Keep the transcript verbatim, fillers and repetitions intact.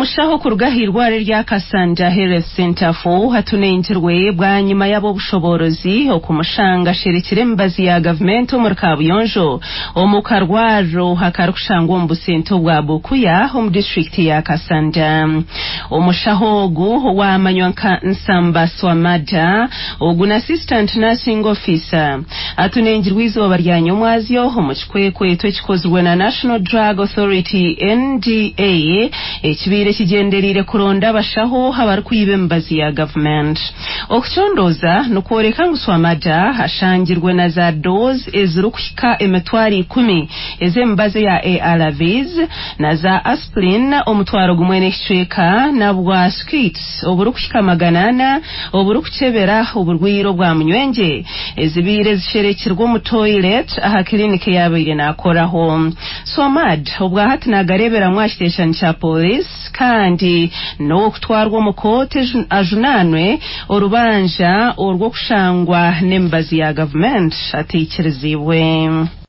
Omushaho kuruga ahairwariro erya Kasanja Health Centre four atunengirwe bwanyima y'ab'obushoboorozi okumushanga asherekire emibazi ya gavumenti omuri kabuyonjo omu karwariro akarikushangwa omu busente obwa Bukuya omu disitulikiti ya Kasanja. Omushaho ogu owamanywa nka Nsamba Swamada, ogu na assistant nursing officer, atunengirwe izooba rya nyomwazyo omu kikwekweto ekikozirwe na National Drug Authority N D A ekibaire kigyendereire kuronda abashaho abarikwiba emibazi ya gavumenti. Okucondooza nikworeka ngu Swamada ashangirwe na za dose ezirikuhika emitwaro ikumi ez'emibazi ya A R Vs na za aspirin omutwaro gumwe n'ekicweka na bwa skits oburikuhika magana ana oburikukyebera oburwaire obwa munywengye ezibaire zisherekirwe omu toilet aha kiriniki eyabaire naakoraho. Swamad obwahati naagareeberamu aha kiteeshani kya polisi kandi n'ow'okutwarwa omu kooti ajunaanwe orubanja orw'okushangwa n'emibazi ya gavumenti ataikirizibwe.